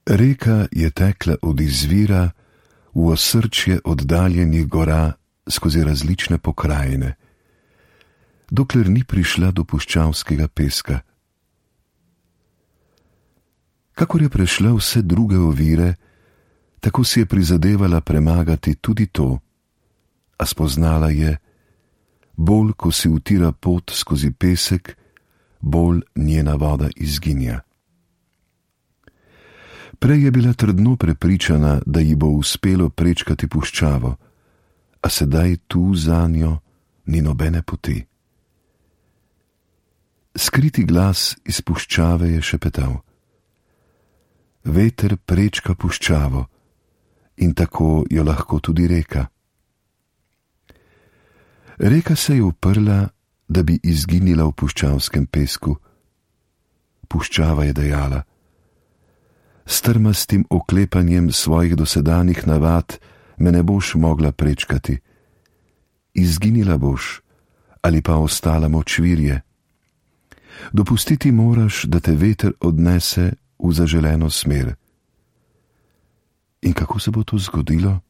Reka je tekla od izvira v osrčje oddaljenih gora skozi različne pokrajine, dokler ni prišla do puščavskega peska. Kakor je prešla vse druge ovire, tako si je prizadevala premagati tudi to, a spoznala je, bolj ko si utira pot skozi pesek, bolj njena voda izginja. Prej je bila trdno prepričana, da ji bo uspelo prečkati puščavo, a sedaj tu zanjo ni nobene poti. Skriti glas iz puščave je šepetal: veter prečka puščavo in tako jo lahko tudi reka. Reka se je uprla, da bi izginila v puščavskem pesku. Puščava je dejala: s trmastim oklepanjem svojih dosedanjih navad me ne boš mogla prečkati. Izginila boš ali pa ostala močvirje. Dopustiti moraš, da te veter odnese v zaželeno smer. In kako se bo to zgodilo?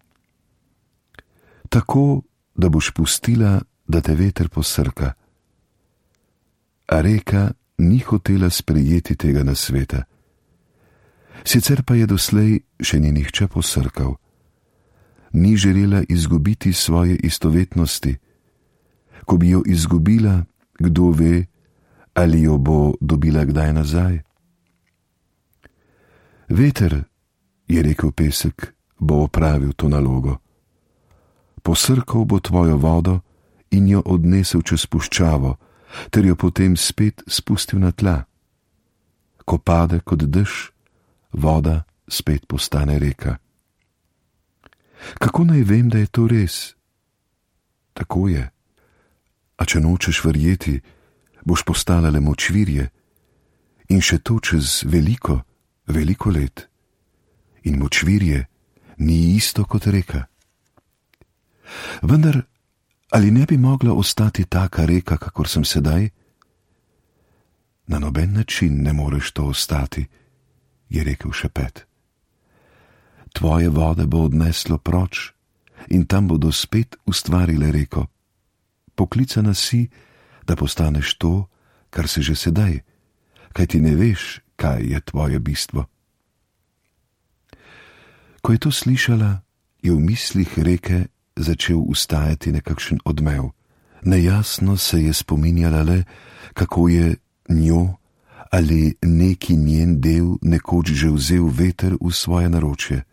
Tako, da boš pustila, da te veter posrka. A reka ni hotela sprejeti tega nasveta. Sicer pa je doslej še ni nihče posrkal. Ni želela izgubiti svoje istovetnosti. Ko bi jo izgubila, kdo ve, ali jo bo dobila kdaj nazaj. Veter, je rekel pesek, bo opravil to nalogo. Posrkal bo tvojo vodo in jo odnesel čez puščavo, ter jo potem spet spustil na tla. Ko pade kot dež, voda spet postane reka. Kako naj vem, da je to res? Tako je. A če nočeš verjeti, boš postala le močvirje, in še to čez veliko, veliko let. In močvirje ni isto kot reka. Vendar, ali ne bi mogla ostati taka reka, kakor sem sedaj? Na noben način ne moreš to ostati, je rekel šepet. Tvoje vode bo odneslo proč in tam bodo spet ustvarile reko. Poklicana si, da postaneš to, kar si že sedaj, kaj ti ne veš, kaj je tvoje bistvo. Ko je to slišala, je v mislih reke začel ustajati nekakšen odmev. Nejasno se je spominjala le, kako je njo ali neki njen del nekoč že vzel veter v svoje naročje.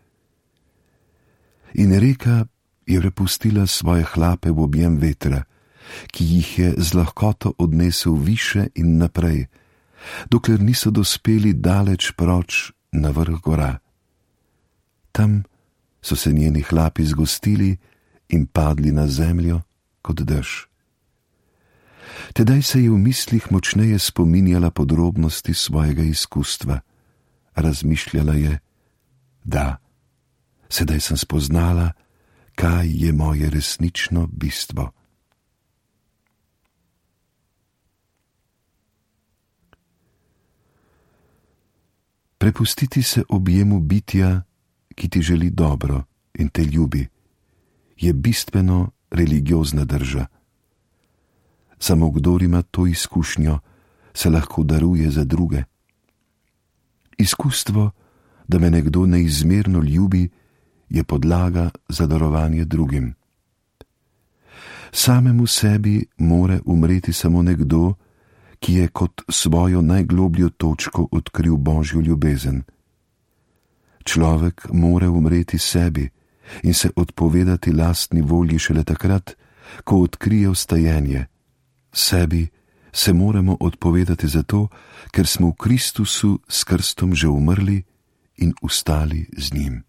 In reka je prepustila svoje hlape v objem vetra, ki jih je z lahkoto odnesel više in naprej, dokler niso dospeli daleč proč na vrh gora. Tam so se njeni hlapi zgostili in padli na zemljo kot dež. Tedaj se je v mislih močneje spominjala podrobnosti svojega izkustva. Razmišljala je: da, sedaj sem spoznala, kaj je moje resnično bistvo. Prepustiti se objemu bitja, ki ti želi dobro in te ljubi, je bistveno religiozna drža. Samo kdor ima to izkušnjo, se lahko daruje za druge. Izkustvo, da me nekdo neizmerno ljubi, je podlaga za darovanje drugim. Samemu sebi more umreti samo nekdo, ki je kot svojo najglobljo točko odkril Božjo ljubezen. Človek more umreti sebi in se odpovedati lastni volji šele takrat, ko odkrije vstajenje. Sebi se moramo odpovedati zato, ker smo v Kristusu s krstom že umrli in vstali z njim.